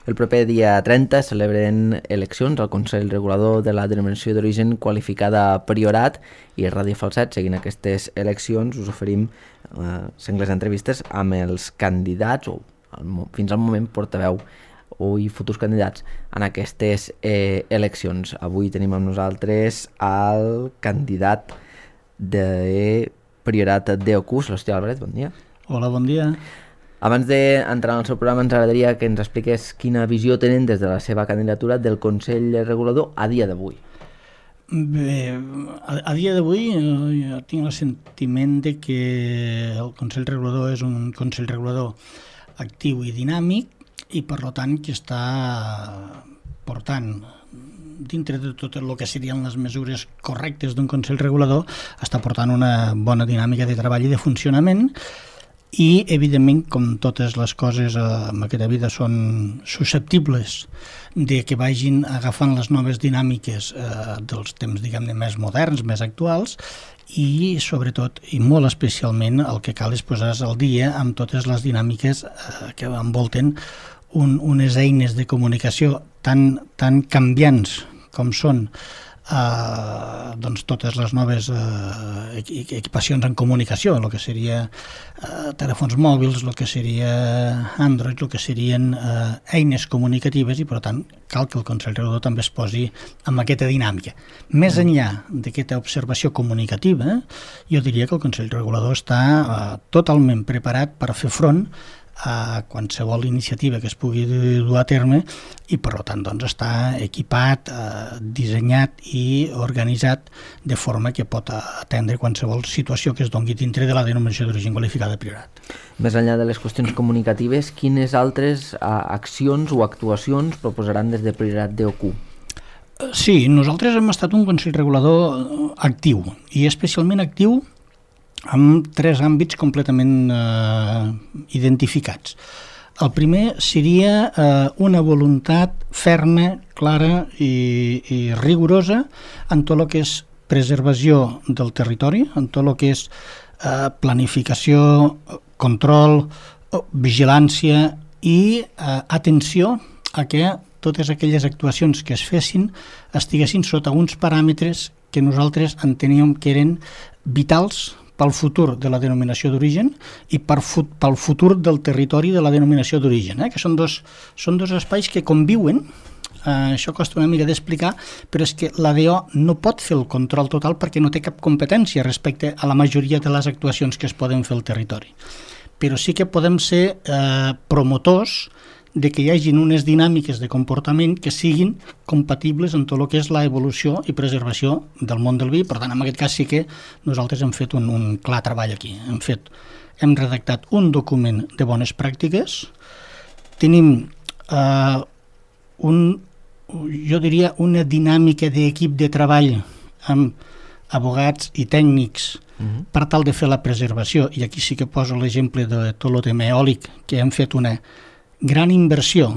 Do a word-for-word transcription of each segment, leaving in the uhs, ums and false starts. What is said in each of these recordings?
El proper dia trenta es celebren eleccions al Consell Regulador de la Denominació d'Origen Qualificada Priorat i a Ràdio Falset, seguint aquestes eleccions, us oferim eh, sengles entrevistes amb els candidats, o al, fins al moment portaveu o i futurs candidats en aquestes eh, eleccions. Avui tenim amb nosaltres el candidat de Priorat D O Q, Sebastià Álvarez, bon dia. Hola, bon dia. Abans d'entrar en el seu programa ens agradaria que ens expliqués quina visió tenen des de la seva candidatura del Consell Regulador a dia d'avui. Bé, a, a dia d'avui jo tinc el sentiment de que el Consell Regulador és un Consell Regulador actiu i dinàmic i per tant que està portant dintre de tot el que serien les mesures correctes d'un Consell Regulador, està portant una bona dinàmica de treball i de funcionament. I, evidentment, com totes les coses en aquesta vida són susceptibles de que vagin agafant les noves dinàmiques eh, dels temps, diguem-ne, més moderns, més actuals, i, sobretot, i molt especialment, el que cal és posar-se al dia amb totes les dinàmiques eh, que envolten un, unes eines de comunicació tan, tan canviants com són Uh, doncs totes les noves uh, equipacions en comunicació, el que seria uh, telèfons mòbils, el que seria Android, el que serien uh, eines comunicatives, i per tant cal que el Consell Regulador també es posi amb aquesta dinàmica. Més enllà d'aquesta observació comunicativa, jo diria que el Consell Regulador està uh, totalment preparat per fer front a qualsevol iniciativa que es pugui dur a terme i per tant doncs, està equipat, eh, dissenyat i organitzat de forma que pot atendre qualsevol situació que es doni dintre de la denominació d'origen qualificada Priorat. Més enllà de les qüestions comunicatives, quines altres eh, accions o actuacions proposaran des de Priorat D O Q? Sí, nosaltres hem estat un Consell Regulador actiu i especialment actiu amb tres àmbits completament eh, identificats. El primer seria eh, una voluntat ferma, clara i, i rigorosa en tot el que és preservació del territori, en tot el que és eh, planificació, control, vigilància i eh, atenció a que totes aquelles actuacions que es fessin estiguessin sota uns paràmetres que nosaltres enteníem que eren vitals pel futur de la denominació d'origen i per fut, pel futur del territori de la denominació d'origen, eh? que són dos, són dos espais que conviuen. Eh, això costa una mica d'explicar, però és que l'A D O no pot fer el control total perquè no té cap competència respecte a la majoria de les actuacions que es poden fer al territori. Però sí que podem ser eh, promotors de que hi hagin unes dinàmiques de comportament que siguin compatibles amb tot el que és la evolució i preservació del món del vi. Per tant, en aquest cas sí que nosaltres hem fet un, un clar treball aquí. Hem fet, hem redactat un document de bones pràctiques, tenim eh, un, jo diria, una dinàmica d'equip de treball amb abogats i tècnics uh-huh. per tal de fer la preservació, i aquí sí que poso l'exemple de tot el tema eòlic, que hem fet una gran inversió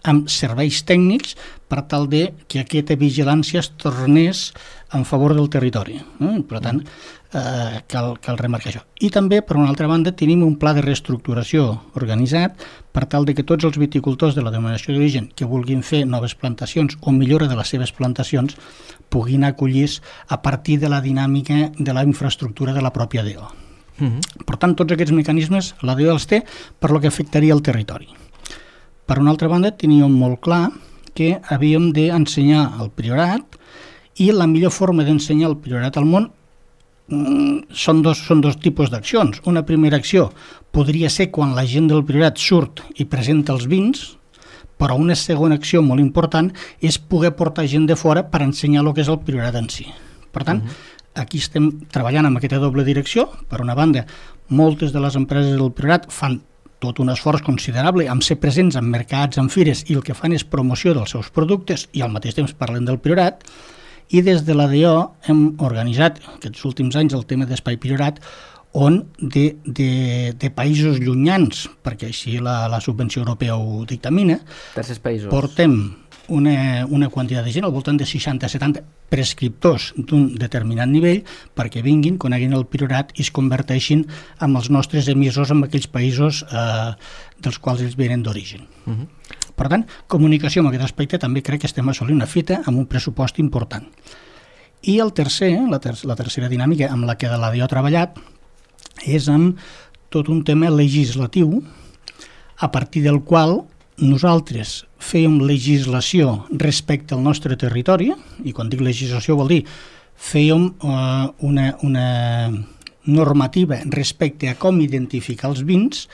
amb serveis tècnics per tal de que aquesta vigilància es tornés en favor del territori. Eh? Per tant, eh, cal, cal remarcar això. I també, per una altra banda, tenim un pla de reestructuració organitzat per tal de que tots els viticultors de la denominació d'origen que vulguin fer noves plantacions o millora de les seves plantacions puguin acollir a partir de la dinàmica de la infraestructura de la pròpia D O. Uh-huh. Per tant, tots aquests mecanismes la D O els té per lo que afectaria el territori. Per una altra banda, teníem molt clar que havíem d'ensenyar el priorat i la millor forma d'ensenyar el priorat al món mm, són, dos, són dos tipus d'accions. Una primera acció podria ser quan la gent del priorat surt i presenta els vins, però una segona acció molt important és poder portar gent de fora per ensenyar el que és el priorat en si. Per tant, uh-huh. aquí estem treballant amb aquesta doble direcció. Per una banda, moltes de les empreses del Priorat fan tot un esforç considerable en ser presents en mercats, en fires, i el que fan és promoció dels seus productes i al mateix temps parlen del Priorat. I des de l'A D O hem organitzat aquests últims anys el tema d'Espai Priorat, on de, de, de països llunyans, perquè així la, la subvenció europea ho dictamina, tercers països. Portem una, una quantitat de gent, al voltant de seixanta a setanta prescriptors d'un determinat nivell, perquè vinguin, coneguin el priorat i es converteixin en els nostres emissors en aquells països eh, dels quals ells venen d'origen. Uh-huh. Per tant, comunicació en aquest aspecte també crec que estem assolint una fita amb un pressupost important. I el tercer, la, ter la tercera dinàmica amb la que de l'A D I O ha treballat és amb tot un tema legislatiu a partir del qual nosaltres fèiem legislació respecte al nostre territori, i quan dic legislació vol dir fèiem uh, una, una normativa respecte a com identificar els vins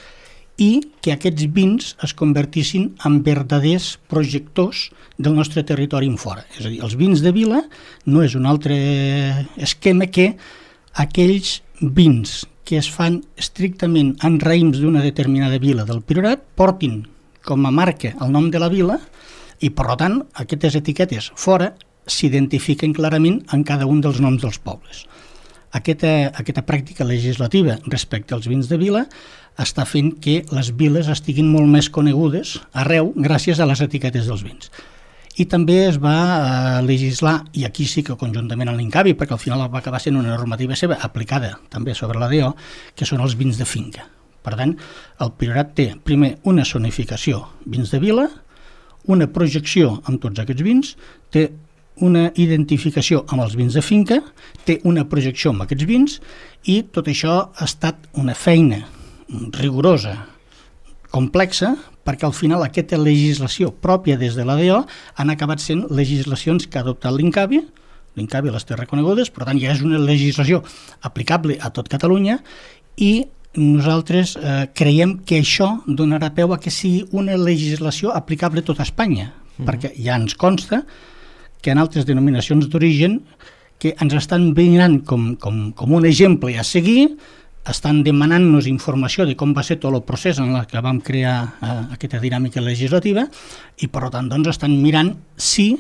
i que aquests vins es convertissin en verdaders projectors del nostre territori en fora. És a dir, els vins de vila no és un altre esquema que aquells vins que es fan estrictament en raïms d'una determinada vila del Priorat portin com a marca el nom de la vila i, per tant, aquestes etiquetes fora s'identifiquen clarament en cada un dels noms dels pobles. Aquesta, aquesta pràctica legislativa respecte als vins de vila està fent que les viles estiguin molt més conegudes arreu gràcies a les etiquetes dels vins. I també es va eh, legislar, i aquí sí que conjuntament amb l'Incavi, perquè al final va acabar sent una normativa seva aplicada també sobre l'A D O, que són els vins de finca. Per tant, el Priorat té primer una zonificació vins de vila, una projecció amb tots aquests vins, té una identificació amb els vins de finca, té una projecció amb aquests vins i tot això ha estat una feina rigorosa, complexa, perquè al final aquesta legislació pròpia des de l'A D O han acabat sent legislacions que ha adoptat l'Incavi, l'Incavi les té reconegudes, per tant ja és una legislació aplicable a tot Catalunya i nosaltres eh, creiem que això donarà peu a que sigui una legislació aplicable a tota Espanya, mm-hmm. perquè ja ens consta que en altres denominacions d'origen que ens estan venint com, com, com un exemple a seguir, estan demanant-nos informació de com va ser tot el procés en el que vam crear eh, aquesta dinàmica legislativa i per tant doncs estan mirant si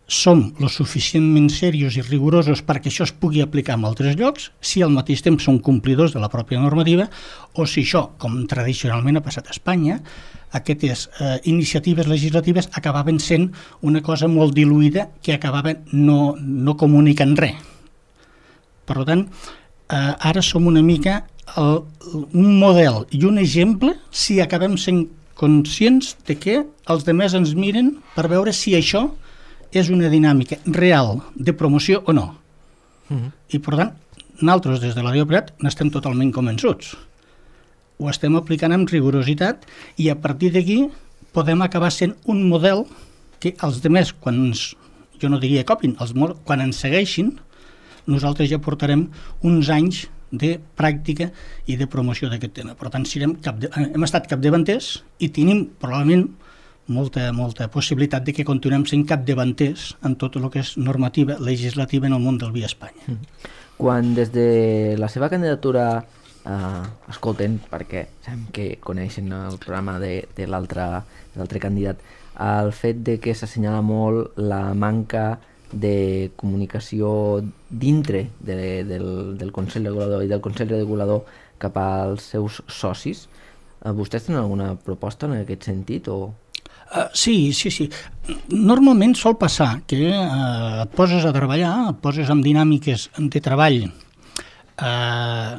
som lo suficientment serios i rigorosos perquè això es pugui aplicar en altres llocs, si al mateix temps som complidors de la pròpia normativa o si això, com tradicionalment ha passat a Espanya, aquestes eh, iniciatives legislatives acabaven sent una cosa molt diluïda que acabaven no, no comunicant res. Per tant, eh, ara som una mica el, un model i un exemple si acabem sent conscients de que els demés ens miren per veure si això és una dinàmica real de promoció o no. Uh-huh. I per tant, nosaltres des de l'A D O Priorat n'estem totalment convençuts. Ho estem aplicant amb rigorositat i a partir d'aquí podem acabar sent un model que els demés, quan ens, jo no diria copin, els, quan ens segueixin, nosaltres ja portarem uns anys de pràctica i de promoció d'aquest tema. Per tant, serem capde- hem estat capdavanters i tenim probablement molta, molta possibilitat de que continuem sent capdavanters en tot el que és normativa legislativa en el món del vi a Espanya. Quan des de la seva candidatura eh, escolten, perquè sabem que coneixen el programa de, de l'altre candidat, el fet de que s'assenyala molt la manca de comunicació dintre de, del, del Consell Regulador i del Consell Regulador cap als seus socis, eh, vostès tenen alguna proposta en aquest sentit o...? Uh, sí, sí, sí. Normalment sol passar que uh, et poses a treballar, et poses amb dinàmiques de treball uh,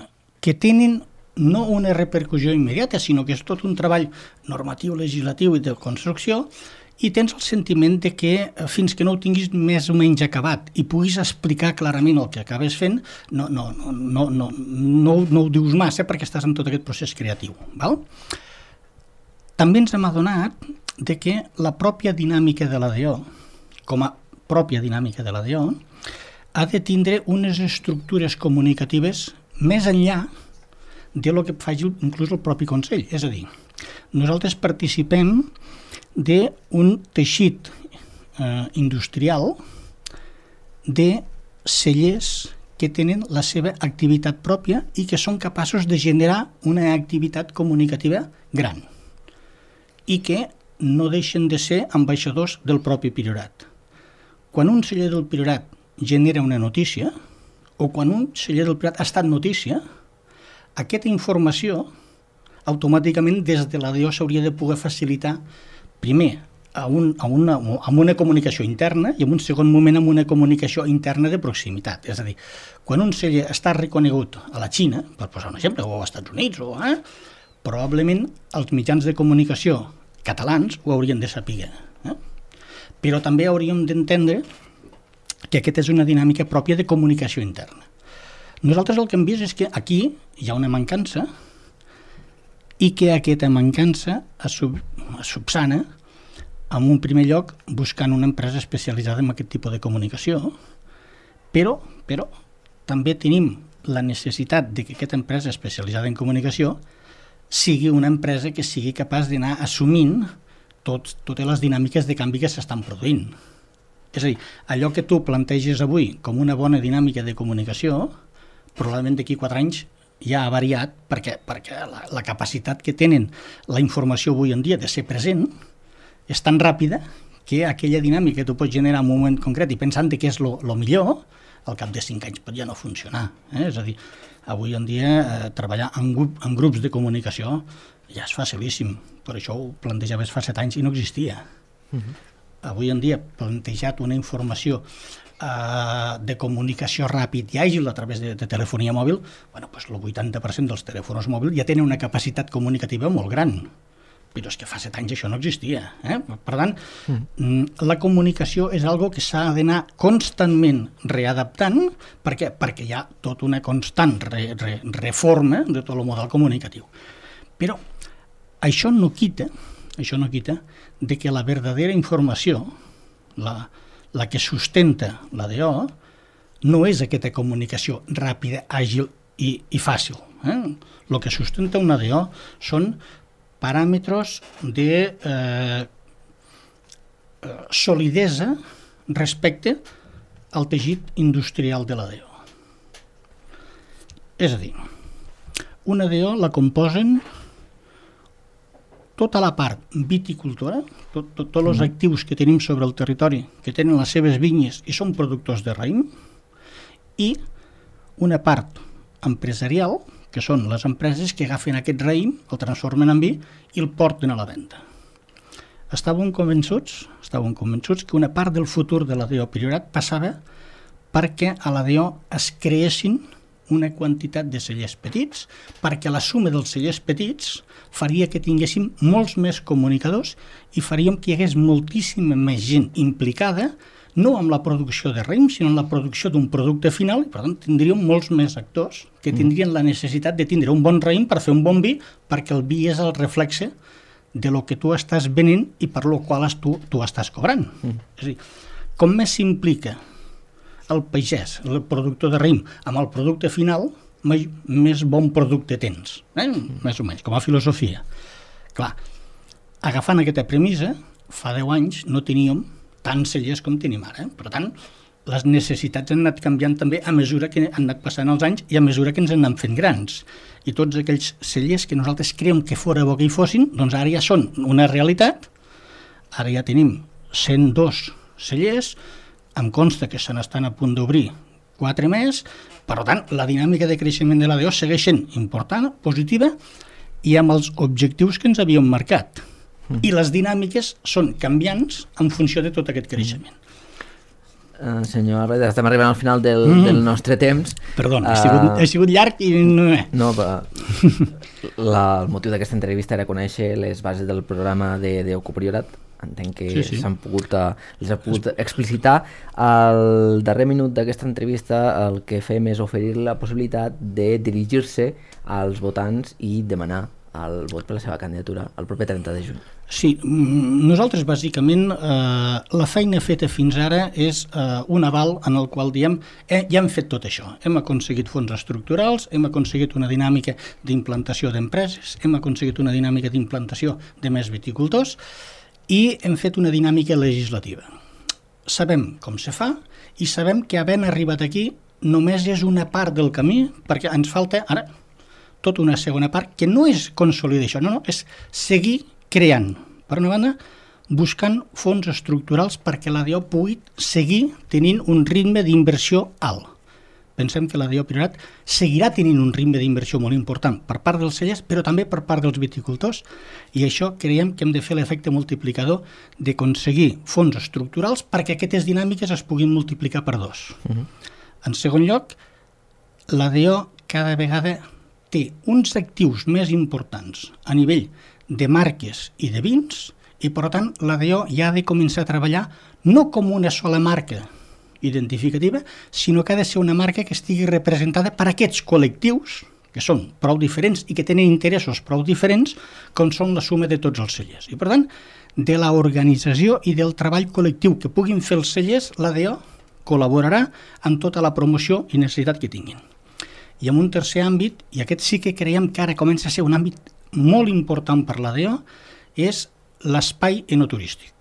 que tenen no una repercussió immediata, sinó que és tot un treball normatiu, legislatiu i de construcció, i tens el sentiment de que uh, fins que no ho tinguis més o menys acabat i puguis explicar clarament el que acabes fent, no, no, no, no, no, no, no ho dius massa perquè estàs en tot aquest procés creatiu. Val? També ens hem adonat de que la pròpia dinàmica de l'A D O, com a pròpia dinàmica de l'A D O, ha de tindre unes estructures comunicatives més enllà de lo que faci inclús el propi Consell. És a dir, nosaltres participem d'un teixit eh, industrial de cellers que tenen la seva activitat pròpia i que són capaços de generar una activitat comunicativa gran i que no deixen de ser ambaixadors del propi Priorat. Quan un celler del Priorat genera una notícia, o quan un celler del Priorat ha estat notícia, aquesta informació automàticament des de l'A D O s'hauria de poder facilitar primer a, un, a, una, a una comunicació interna i en un segon moment amb una comunicació interna de proximitat. És a dir, quan un celler està reconegut a la Xina, per posar un exemple, o als Estats Units, o, eh, probablement els mitjans de comunicació catalans ho haurien de saber. Eh? Però també hauríem d'entendre que aquesta és una dinàmica pròpia de comunicació interna. Nosaltres el que hem vist és que aquí hi ha una mancança i que aquesta mancança es, sub, es subsana en un primer lloc buscant una empresa especialitzada en aquest tipus de comunicació, però, però també tenim la necessitat de que aquesta empresa especialitzada en comunicació sigui una empresa que sigui capaç d'anar assumint tot, totes les dinàmiques de canvi que s'estan produint. És a dir, allò que tu planteges avui com una bona dinàmica de comunicació, probablement d'aquí quatre anys ja ha variat perquè, perquè la, la capacitat que tenen la informació avui en dia de ser present és tan ràpida que aquella dinàmica que tu pots generar en un moment concret i pensant que és el millor, al cap de cinc anys pot ja no funcionar. Eh? És a dir, avui en dia eh, treballar en, grup, en grups de comunicació ja és facilíssim, per això ho plantejaves fa set anys i no existia. Uh-huh. Avui en dia plantejat una informació eh, de comunicació ràpid i àgil a través de, de telefonia mòbil, bueno, pues el vuitanta per cent dels telèfons mòbils ja tenen una capacitat comunicativa molt gran. Però és que fa set anys això no existia. Eh? Per tant, mm. la comunicació és algo que s'ha d'anar constantment readaptant perquè, perquè hi ha tota una constant re, re, reforma de tot el model comunicatiu. Però això no quita, això no quita de que la verdadera informació, la, la que sustenta la D O, no és aquesta comunicació ràpida, àgil i, i fàcil. Eh? El que sustenta una D O són paràmetres de eh, solidesa respecte al teixit industrial de la D O. És a dir, una D O la composen tota la part viticultora, tot, tot, tots els actius que tenim sobre el territori, que tenen les seves vinyes i són productors de raïm, i una part empresarial, que són les empreses que agafen aquest raïm, el transformen en vi i el porten a la venda. Estàvem convençuts, estàvem convençuts que una part del futur de la D O Priorat passava perquè a la D O es creessin una quantitat de cellers petits, perquè la suma dels cellers petits faria que tinguéssim molts més comunicadors i faríem que hi hagués moltíssima més gent implicada, no amb la producció de raïm, sinó en la producció d'un producte final, i per tant tindríem molts més actors que tindrien la necessitat de tindre un bon raïm per fer un bon vi, perquè el vi és el reflexe de lo que tu estàs venent i per lo qual tu, tu estàs cobrant. Mm. És a dir, com més s'implica el pagès, el productor de raïm, amb el producte final, més bon producte tens. Eh? Més o menys, com a filosofia. Clar, agafant aquesta premissa, fa deu anys no teníem tants cellers com tenim ara. Per tant, les necessitats han anat canviant també a mesura que han anat passant els anys i a mesura que ens han anat fent grans. I tots aquells cellers que nosaltres creiem que fora bo que hi fossin, doncs ara ja són una realitat. Ara ja tenim cent dos cellers, em consta que se n'estan a punt d'obrir quatre més, per tant, la dinàmica de creixement de la D O segueix sent important, positiva, i amb els objectius que ens havíem marcat. I les dinàmiques són canviants en funció de tot aquest creixement. Uh, senyor Arreda, estem arribant al final del, mm. del nostre temps. Perdó, uh, he, sigut, he sigut llarg i no... No, però la, el motiu d'aquesta entrevista era conèixer les bases del programa de, de Ecopriorat. Entenc que sí, sí. s'han pogut, les ha pogut explicitar. Al darrer minut d'aquesta entrevista el que fem és oferir la possibilitat de dirigir-se als votants i demanar el vot per la seva candidatura el proper trenta de juny. Sí, nosaltres bàsicament eh, la feina feta fins ara és eh, un aval en el qual diem eh, ja hem fet tot això, hem aconseguit fons estructurals, hem aconseguit una dinàmica d'implantació d'empreses, hem aconseguit una dinàmica d'implantació de més viticultors i hem fet una dinàmica legislativa. Sabem com se fa i sabem que havent arribat aquí només és una part del camí perquè ens falta ara tota una segona part, que no és consolidar això, no, no, és seguir creant. Per una banda, buscant fons estructurals perquè la D O pugui seguir tenint un ritme d'inversió alt. Pensem que la D O Priorat seguirà tenint un ritme d'inversió molt important per part dels cellers, però també per part dels viticultors, i això creiem que hem de fer l'efecte multiplicador d'aconseguir fons estructurals perquè aquestes dinàmiques es puguin multiplicar per dos. Uh-huh. En segon lloc, la D O cada vegada té uns actius més importants a nivell de marques i de vins, i per tant l'A D O ja ha de començar a treballar no com una sola marca identificativa, sinó que ha de ser una marca que estigui representada per aquests col·lectius que són prou diferents i que tenen interessos prou diferents, com són la suma de tots els cellers. I per tant, de l'organització i del treball col·lectiu que puguin fer els cellers, l'A D O col·laborarà en tota la promoció i necessitat que tinguin. I en un tercer àmbit, i aquest sí que creiem que ara comença a ser un àmbit molt important per l'A D O, és l'espai enoturístic.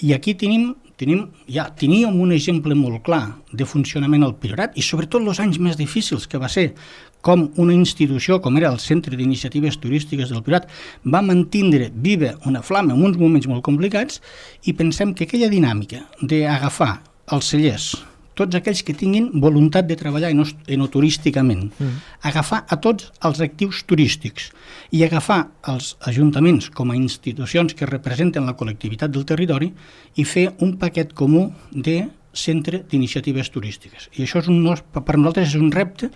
I aquí tenim, tenim, ja teníem un exemple molt clar de funcionament al Priorat, i sobretot els anys més difícils, que va ser com una institució, com era el Centre d'Iniciatives Turístiques del Priorat, va mantindre viva una flama en uns moments molt complicats, i pensem que aquella dinàmica d'agafar els cellers, tots aquells que tinguin voluntat de treballar enoturísticament, mm. agafar a tots els actius turístics i agafar els ajuntaments com a institucions que representen la col·lectivitat del territori i fer un paquet comú de centre d'iniciatives turístiques. I això és un, per nosaltres és un repte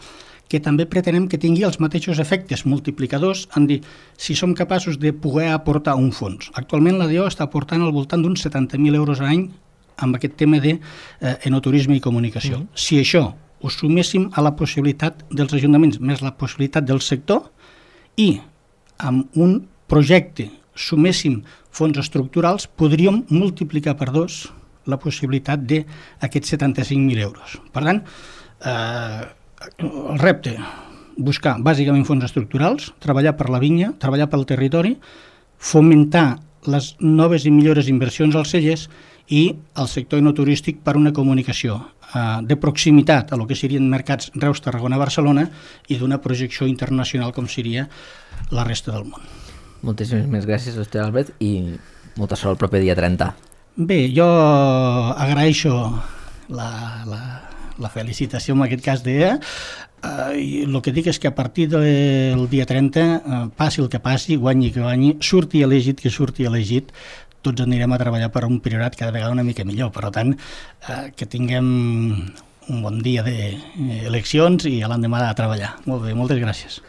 que també pretenem que tingui els mateixos efectes multiplicadors en dir si som capaços de poder aportar un fons. Actualment l'A D O està aportant al voltant d'uns setanta mil euros a l'any amb aquest tema d'enoturisme eh, i comunicació. Mm. Si això ho suméssim a la possibilitat dels ajuntaments més la possibilitat del sector i amb un projecte suméssim fons estructurals, podríem multiplicar per dos la possibilitat d'aquests setanta-cinc mil euros. Per tant, eh, el repte, buscar bàsicament fons estructurals, treballar per la vinya, treballar pel territori, fomentar les noves i millores inversions als cellers i el sector enoturístic per una comunicació eh, de proximitat a lo que serien mercats Reus, Tarragona, Barcelona i d'una projecció internacional com seria la resta del món. Moltíssimes més gràcies, Esther Albert, i molta sort el proper dia trenta. Bé, jo agraeixo la, la, la felicitació en aquest cas d'E A. Eh, el que dic és que a partir del dia trenta, eh, passi el que passi, guanyi que guanyi, surti elegit que surti elegit, tots anirem a treballar per un Priorat cada vegada una mica millor. Per tant, eh, que tinguem un bon dia d'eleccions i a l'endemà a treballar. Molt bé, moltes gràcies.